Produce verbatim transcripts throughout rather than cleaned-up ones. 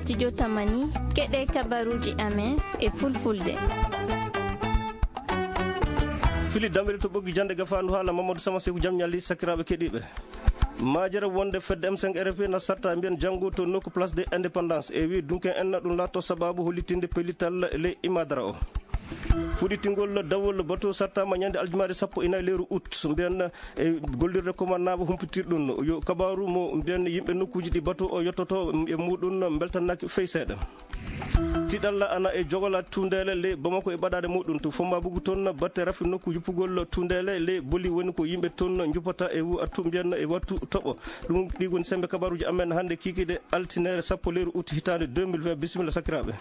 Studio Tamani, keɗe kabaruji amen e fulfulde. Fili dambere to ɓoggi jande gafandu haala Mamadou Sama Seku jam ñalli sakiraaɓe keɗiiɓe. Majere wonde fedde M cinq R F P na sarta mbiyen janngo to nokku Place de Indépendance e wi dunken en na ɗum laatto sababu hollitinde pellital le imadara o. Fuɗɗitingol dawol bato sartama ñande aljumaare sappo e nayi lewru août mbiyen e gollirde commandant humpitirɗum yo kabaru mo mbiyen yimɓe nokkuji ɗi bato o yottoto e muɗum mbeltanaki fey seeɗa. Tiɗalla ana e jogola tundele le Bamako e ɓaɗaɗe muɗum to Fomba Bugu toon batte rafi nokku yuppugol tundele le boli woni ko yimɓe toon juppata e wu attu mbiyen e wattu toɓo. Ɗum ɗi woni sembe kabaruji amen hannde kikiɗe altinere sappo lewru août hitande deux mille vingt. Bisimilla sakiraɓe.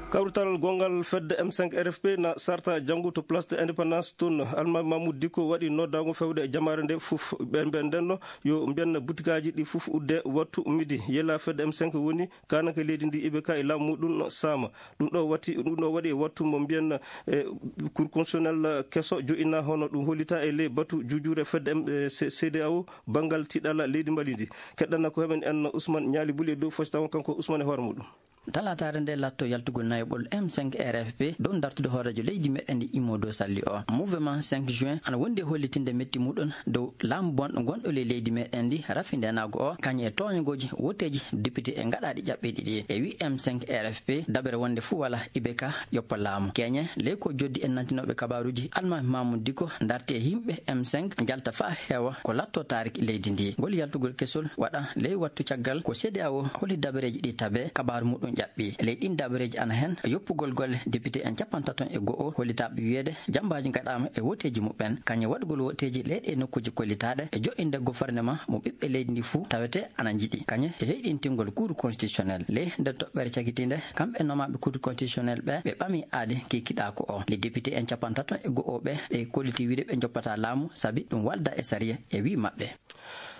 Kawrital gongal fedde M cinq R F P na sarta janngo to Place de Indépendance toon. Alma Mamoud Diko waɗi noddago fewde e jamaare nde fof. Ɓe mbiyen ndenno yo mbiyen butikaji ɗi fof udde wattu midi. Yela fedde M cinq woni kananke leydi ndi iɓe ka e laamu muɗum sama. Ɗum ɗo watti, ɗum ɗo waɗi e wattu mo mbiyen e Cour constitutionnel keso joɗɗina hono ɗum hollita e ley batu jujure fedde M-, e C-, C D A O banngal tiɗalla leydi Mali ndi. Keɗɗana ko heɓen en Ousmane Ñaali Buli e dow fos taw kanko Ousmane e hoore muɗum. Talataare nde latto yaltugol nayoɓol M cinq R F P dow dartude hooreejo leydi meɗen ndi Immo dow Salli o. Mouvement cinq juin ana wondi e hollitinde metti muɗum dow laamu bonɗo gonɗo ley leydi meɗen ndi rafi ndenago o, kañum e tooñagooji woteeji député e ngaɗaaɗi ƴaɓɓiiɗi ɗi. E wi M cinq R F P, dabere wonde fuu wala ibe ka ƴoppa laamu. Keñe, ley ko joddi en nantinoɓe kabaruji, Almami Mamoudou Dicko darti e yimɓe M cinq, jalta faa heewa ko latto taariki leydi ndi. Ngol yaltugol kesol waɗa ley wattu caggal ko C D A O holi dabareeji ɗi tabe, kabaru muɗum ƴaɓɓi. Ley ɗin dabareeji ana hen yoppugol golle député en cappantato e go'o hollitaaɓe wiyeede jambaaji ngaɗaama e woteeji muɓɓen, kañum waɗugol woteeji ley ɗe nokkuuji kollitaaɗe e joɗɗinde gouvernement mo ɓiɓɓe leydi ndi fuu tawete ana njiɗi, kañum e heyɗintingol Cour constitutionnel. Ley nden toɓɓere cagitiinde, kamɓe nomaaɓe Cour constitutionnel ɓe, ɓe ɓami aadi kikiɗaaku o. Les députés en cappantato e go'o ɓe, ɓe kolliti wiide ɓe joppataa laamu sabi ɗum waldaa e sariya e wii maɓɓe.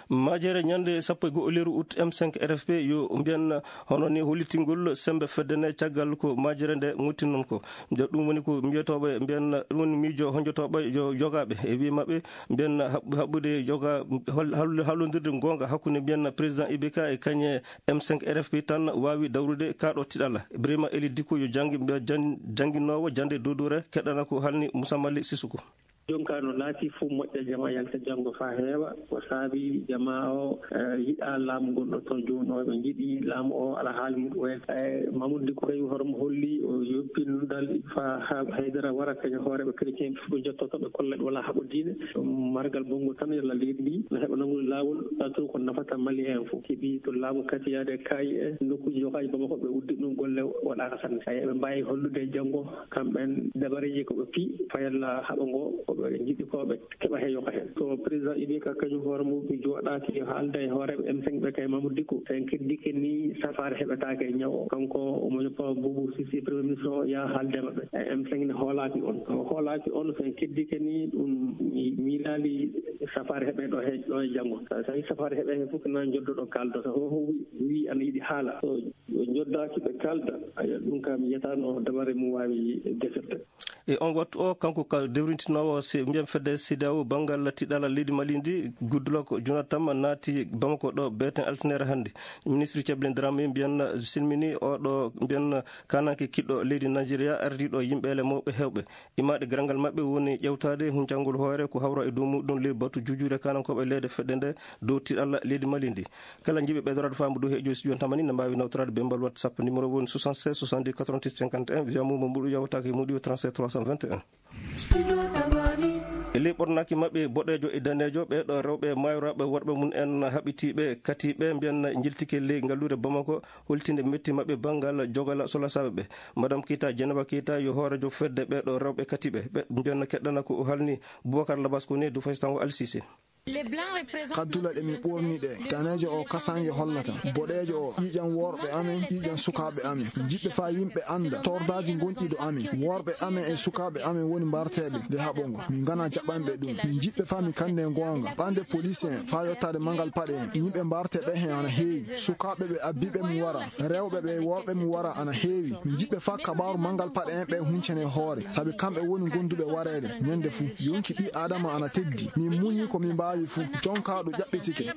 Majere ñande sappo e go'o lewru août M cinq R F P yo mbiyen hono ni hollitingol sembe fedde nde caggal ko majere nde ŋotti non ko. Nde ɗum woni ko mbiyetooɓe mbiyen ɗum woni miijo honjotooɓe yo jogaaɓe e wii maɓɓe mbiyen haɓ-, haɓɓude joga hol-, hal-, hallondirde goonga hakkunde mbiyen président I B K e kañe M cinq R F P tan waawi dawrude kaaɗo tiɗalla. Ibrahima Eli Dicko yo janngi mbiya jan-, jannginoowo jannde dodore keɗɗana ko halni Moussa Mali Sissoko. Jonka no laati fof moƴƴa jama yalta janngo faa heewa. Ko saabi jama o, eh, yiɗa laamu ngon ɗo toon jooni o, ɓe njiɗi laamu o ala haali muɗum en. Eh, Mamoudou Dicko kay hoore mo holli o yoppino dal faa ha haydara wara kañum hooreeɓe chrétien ɓe fof ɓe jottoto ɓe kolla ɓe wala haɓo diine. Ɗum margal bongo tan yalla leydi ndi no heɓa nanngude laawol, ɗato ko nafata Mali en fof. Keɓi to laamu kati yaade kaayi e nokkuuji yokaaji Bamako ɓe uddi ɗum golle waɗaaka sanne. Ay, ɓe mbaawi hollude janngo kamɓen dabareeji ko ɓe pii fayalla haɓo ngo ko ɓe njiɗi ko ɓe keɓa he yoka heen. So président I B K kañum hoore mum jooɗaaki haalda e hooreeɓe M cinq ɓe kay Mamoudou Dicko, so en keddike ni safaare heɓetaake e ñaw o. Kanko omo yoppa Boubou Cissé premier ministre o yaa haalde maɓɓe. E M cinq ne hoolaaki on. So hoolaaki on, so en keddike ni ɗum mi-, miilaali safaare heɓe ɗo he, ɗo e janngo. So tawi safaare heɓe he fof ko nan joddo ɗo kaaldo. So ho, ho wi, wi ana yiɗi haala. So ɓe njoddaaki ɓe kaalda, aya, ɗum kam yiyataano dabare mum waawi defirde. E on wattu o, kanko ka dewrintinoowo se-, mbiyen fedde C D A O banngal tiɗalla leydi Mali ndi, Goodluck Jonathan naati Bamako ɗo beeten altinere hannde. Ministre Ceblin Dramé mbiyen silmini oɗo mbiyen kananke kiɗɗo leydi Nigeria ardiiɗo yimɓeele mawɓe heewɓe. Imaade garangal maɓɓe woni ƴewtaade huncangol hoore ko hawra e dow muɗum ley batu juujuure kanankooɓe leyɗe fedde nde dow tiɗalla leydi Mali ndi. Kala jiɗɓe ɓeydoraade faamu dow heejo studio tamani ne mbaawi nawtoraade bembal WhatsApp numéro woni soixante-seize soixante-dix quatre-vingt-huit cinquante et un via mo mbuɗu yawtaaki muɗi trente-sept trois cent vingt et un. E ley ɓornaaki maɓɓe boɗeejo e daneejo, ɓee ɗo rewɓe maayrooɓe worɓe mum en haɓitiiɓe katiiɓe mbiyen njiltike ley ngalluure Bamako holtinde metti maɓɓe banngal jogala solasaaɓe ɓe. Madame Keita, Dieynaba Keita yo hooreejo fedde ɓee ɗo rewɓe katiiɓe. Ɓe mbiyen keɗɗana ko o halni Boubacar Labas ko ne du faysango Al Cissé. Kaddule ɗe min ɓorni ɗe, daneejo o kasaange hollata, boɗeejo o ƴiiƴam worɓe amen, ƴiiƴam sukaaɓe amen. Min njiɗɓe faa yimɓe annda tordaaji gonɗi ɗo amen. Worɓe amen e sukaaɓe amen woni mbarteeɓe nde haɓo ngo. Min nganaa jaɓanɓe ɗum. Min njiɗɓe faa min kanndee goonga. Ɓande police en faa yottaade manngal paɗe en. Yimɓe mbarte ɓe heen ana heewi. Sukaaɓe ɓe abbiiɓe mum wara, rewɓe ɓe worɓe mum wara ana heewi. Min njiɗɓe faa kabaaru manngal paɗe en ɓe huncane hoore, sabi kamɓe woni gonduɓe wareede ñande fuu. Yonki ɓii Aadama ana teddi. Min muñi ko min mbaawi fuu. Jonkaa ɗo ƴaɓɓitike.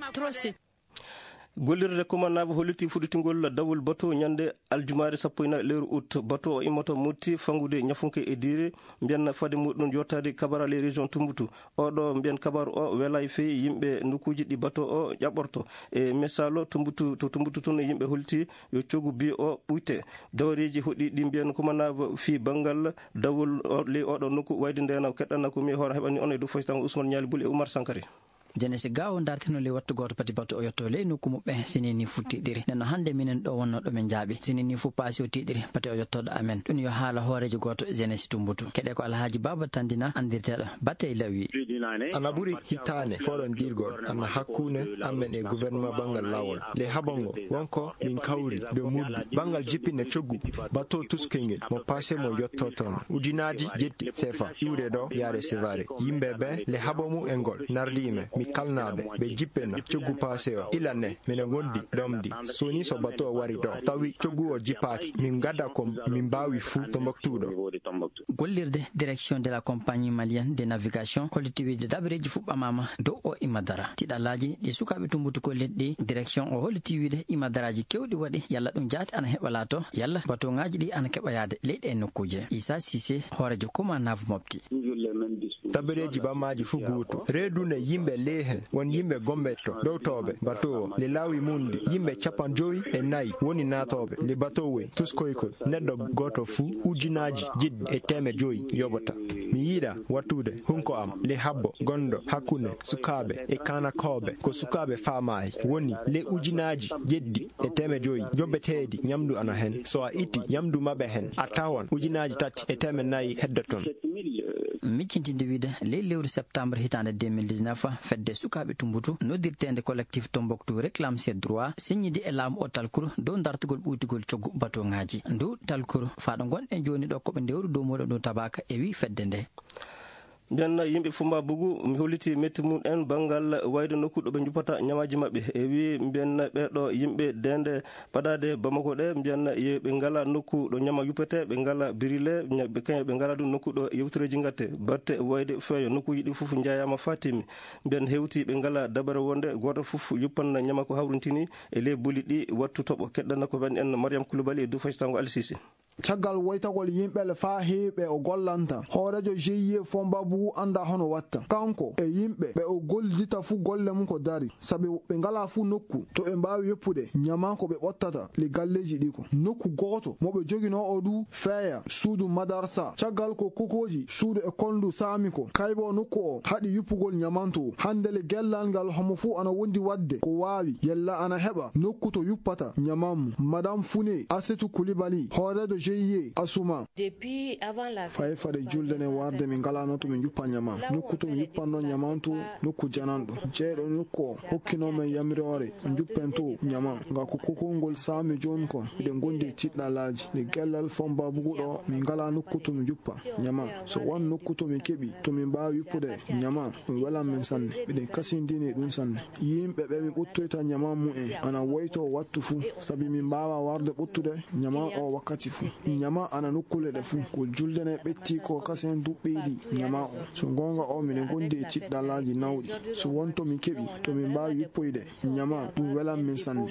Gollirde Kumanaabu hollitii fuɗɗitingol dawol bato ñande aljumaare sappo e nayi lewru ut. Bato o immoto Motti, fanngude Ñafunke e Diire, mbiyan fade muɗum yottaade Kabara, les régions Tumbutu. Oɗo mbiyan kabaru o welay fey yimɓe nokkuuji ɗi bato o ƴaɓɓorto. E Mesalo Tumbutu, to Tumbutu tun, yimɓe hollitii yo coggu bi o ɓuyte. Dawareeji hoɗɗi ɗi mbiyan Kumanaabu fii banngal dawol o, ley oɗo nokku wayde ndena keɗɗana ko mi hoore heɓani on e dow faytango Ousmane Ñaali Bul e Oumar Sankari. Jenesi gawo dartino ley wattu gooto pati bato o yotto ley nokku muɓɓe sinini fu tiɗiri. Nden no hannde minen ɗo wonno ɗo min njaaɓi. Sinini fu paasi o tiɗiri pati o yottoɗo amen. Ɗum yo haala hooreejo gooto Jenesi Tumbutu. Keɗe ko Alhaaji Baaba Tandina anndirteeɗo Batey Lawi. Ana ɓuri hitaane forondirgol ana hakkunde amen e gouvernement banngal laawol. Nde haɓango wonko min kawri dow muddu banngal jippinde coggu bato tuskoyngel mo paase mo yottotono ujunaaji jetti sefa iwde ɗo yaare sevare. Yimɓe ɓe le haɓo mu e ngol nardi men mi kalnaaɓe ɓe jippena coggu paase o ila ne mine ngondi ɗomdi soni so bato o wari ɗo tawi coggu o jippaaki min gada ko min mbaawi fuu to mboktuɗo. Gollirde direction de la compagnie malienne de navigation holliti wiide dabareeji fuɗɗamaama dow o imadara. Tiɗalaaji ɗi sukaaɓe tumbutu ko leɗɗi direction o holliti wiide imadaraaji kewɗi waɗi yalla ɗum jaati ana heɓa laato yalla batoŋaaji ɗi ana keɓa yaade leyɗe e nokkuuje. Isa Sise, hooreejo Koma Nav Mopti. Tabireeji ɓamaaji fuu gooto. Reedune yimɓe ley heen won yimɓe gomɓe to ɗowtooɓe bato o le laawi mum ndi yimɓe capanɗe joyi e nayi woni naatooɓe le bato wey tuskoykol neɗɗo gooto fuu ujunaaji jeɗɗi e teemeɗɗe joyi yoɓata. Mi yiɗa wattude hunko am le habbo gonɗo hakkunde sukaaɓe e kaanakooɓe ko sukaaɓe faamaayi woni le ujunaaji jeɗɗi e teemeɗɗe joyi joɓeteeɗi ñamdu ana heen so a itti ñamdu maɓɓe heen a tawan ujunaaji tati e teemeɗɗe nayi heddoton. Miccintinde wiide ley lewru septembre hitaande deux mille dix-neuf fedde sukaaɓe tumbutu noddirteende collectif Tombouctou réclame ses droits signidi e laamu o talkuru dow dartugol ɓuytugol coggu batoŋaaji ndu talkuru faaɗo ngonɗen jooni ɗo koɓe ndewru dow muɗum ɗum tabaka e wi fedde nde. Mbiyan yimɓe Fumba Bugu mi holliti metti mum en banngal wayde nokku ɗo ɓe njuppata ñamaaji maɓɓe e wi mbiyan ɓeeɗo yimɓe dende paɗaade Bamako ɗe mbiyan yo ɓe ngala nokku ɗo ñama yuppete ɓe ngala birile ɓe kaña ɓe ngala ɗum nokku ɗo yewtereeji ngatte batte wayde feeyo nokkuuji ɗi fof njayaama fatimi mbiyan hewti ɓe ngala dabare wonde gooto fof yuppanna ñama ko hawrintini e ley boli ɗi wattu toɓo keɗɗana ko wen en Mariam Koulibaly e dow faytango Alsisi. Caggal woytagol yimɓe le faa heewi ɓe o gollanta hooreejo G I E Fomba Bugu annda hono watta kanko e yimɓe ɓe o gollidita fuu golle mum ko dari sabi ɓe ngalaa fuu nokku to ɓe mbaawi yoppude ñama ko ɓe ɓottata le galleeji ɗi ko nokku gooto mo ɓe joginoo o du feeya suudu madarsa caggal ko kokooji suudu e kolndu saami ko kaybo nokku o haɗi yuppugol ñamanto hannde le gellal ngal homo fuu ana wondi waɗde ko waawi yella ana heɓa nokku to yuppata ñaman mum madame Fune Asetu Kulibali hooreejo G I E Asuma. Fay fade julde ne warde min ngalano to min juppa ñama nokku to min juppanno ñamantu nokku jananɗo jeyɗo nokku o hokkino men yamiroore juppen to ñama nga ko kokol ngol saami jooni kon miɗen gondi e tiɗɗalaaji nde gellal fomba buguɗo min ngala nokku to min juppa ñama so won nokku to min keɓi to min mbaawi yuppude ñama ɗum welan men sanne miɗen kasindini e ɗum sanne yimɓe ɓe min ɓuttoyta ñama mumen ana woyto wattu fuu sabi min mbaawa warde ɓuttude ñama o wakkati fuu ñama ana nokkuule ɗe fuu ko julde ne ɓetti ko kasen duɓɓiɗi ñama o so goonga o miɗen gondi e tiɗɗalaaji nawɗi so won to min keɓi to min mbaawi yuppoyde ñama ɗum welan min sanne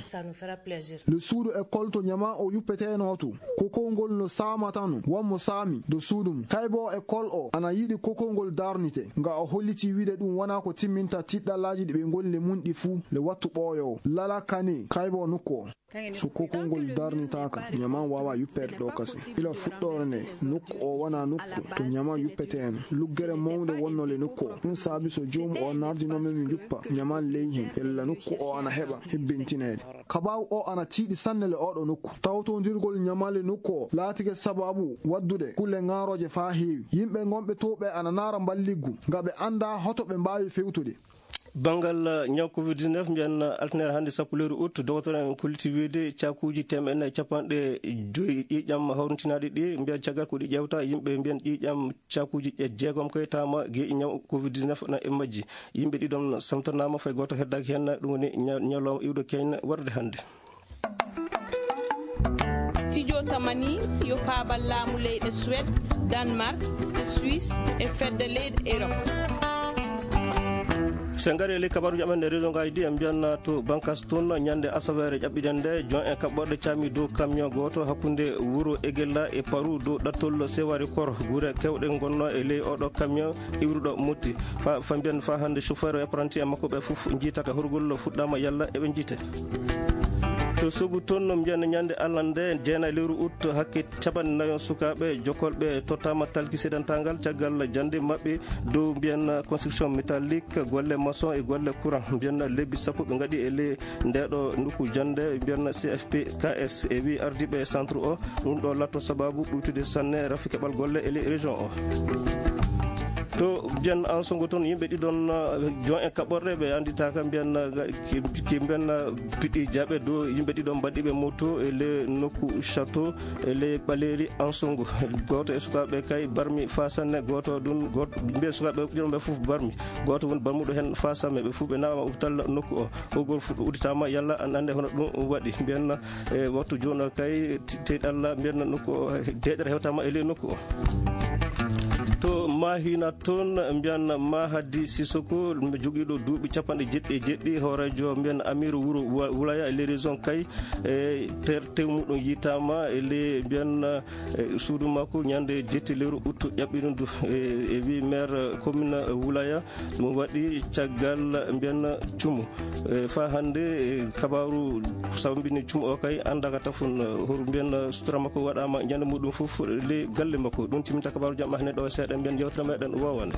le suudu école to ñama o yuppeteno to kokol ngol no saamatano wonmo saami do suudu mum kaybo école o ana yiɗi kokol ngol darnite nga o holliti wiide ɗum wona ko timminta tiɗɗalaaji ɗi ɓe ngoni le mum ɗi fuu le wattu ɓooyowo lala kane kaybo nokku o so kokol ngol darnitaaka ñaman waawa yuppeede ɗo kase ila fuɗɗoore nde nokku o wona nokku to ñaman yuppeteeno luggere mawde wonno le nokku o ɗum saabi so joomu o nardinoo men mi juppa ñaman ley heen ella nokku o ana heɓa hebbintineede kabaaru o ana tiiɗi sanne le oɗo nokku tawtondirgol ñaman le nokku o laatike sababu waddude kulle ŋaarooje faa heewi yimɓe ngonɓe to ɓe ana naara mballiggu nga ɓe annda hoto ɓe mbaawi fewtude Banngal ñaw covid dix-neuf mbiyan altinere hannde sappo lewru ut dogotoro en kolliti wiide cakuuji teemeɗɗe nayi capanɗe joyi ƴiiƴam hawrintinaaɗi ɗi mbiyan caggal ko ɗi ƴeewta yimɓe mbiyan ƴiiƴam cakuuji jeegom koye tama geeƴi ñaw covid dix-neuf na e majji yimɓe ɗiɗon samtanaama fay gooto heddaaki heen ɗum woni ñalawma iwɗo keeñna warde hannde. Studio Tamani yo paabal laamu leyɗe Suède, Danemark, Suisse e fedde leyɗe Europe. So en ngarii e ley kabaaruuji amen e région ngaaji ɗi, en mbiyan to Bankas toon, ñande asaweere ƴaɓɓiɗen nde, jon en kaɓɓorɗe caami dow camion gooto hakkunde wuro Egella e Paru dow ɗattol Sewari Kor, gure keewɗe ngonnoo e ley oɗo camion iwruɗo Motti. Fa, fa mbiyan fa hannde chauffeur e apprenti en makko ɓe fof njiitaaka, horgol fuɗɗaama yalla eɓe njiite. To Sogu toon no mbiyan ñande Allah nde, jeenayi lewru août, hakke capanɗe nayo sukaaɓe jokkolɓe tottaama talki seedantaangal caggal jannde maɓɓe dow mbiyan construction métallique, golle maçon e golle courant. Mbiyan lebbi sappo ɓe ngaɗi e ley ndeeɗo nokku jannde, mbiyan C F P K S e wi ardiiɓe centre o, ɗum ɗo latto sababu ɓuytude sanne rafi keɓal golle e ley région o. To mbiyan Ansongo toon, yimɓe ɗiɗon, uh, jon e kaɓɓorɗe ɓe annditaaka, mbiyan, uh, ki, ki mbiyan, uh, piɗɗi jaaɓe dow yimɓe ɗiɗon mbaɗɗiiɓe moto e ley nokku château e ley ɓaleeri Ansongo. Gooto e sukaaɓe kay barmi faa sanne, gooto ɗum, gooto, mbiyan sukaaɓe ɗiɗon ɓe fof barmi. Gooto woni barmuɗo heen faa sanne, ɓe fof ɓe nawaama hôpital nokku o. Hogol fuɗɗo udditaama, yalla an annde hono ɗum waɗi. Mbiyan, e waktu jooni o kay, te-, teyɗe Allah, mbiyan nokku o, deeƴere hewtaama e ley nokku o. To Mahina toon, mbiyan Mahadi Sisoko, jogiiɗo duuɓi capanɗe jeɗɗi e jeɗɗi, hooreejo mbiyan amiiru wuro Wa-, Wulaya e ley région Kay, e ter-, tew muɗum yiytaama e ley mbiyan, e suudu makko ñande jetti lewru août ƴaɓɓiɗo ndu, e, e wi maire commune Wulaya. Ɗum waɗi caggal mbiyan cumu. E, faa hannde, e, kabaaru sambini cumu o kay anndaaka tafon, e, hor mbiyan sutura makko waɗaama ñande muɗum fof ley galle makko. Ɗum timminta kabaaru jam hannde ɗo seeɗa mbiyan yewtere meɗen wowande.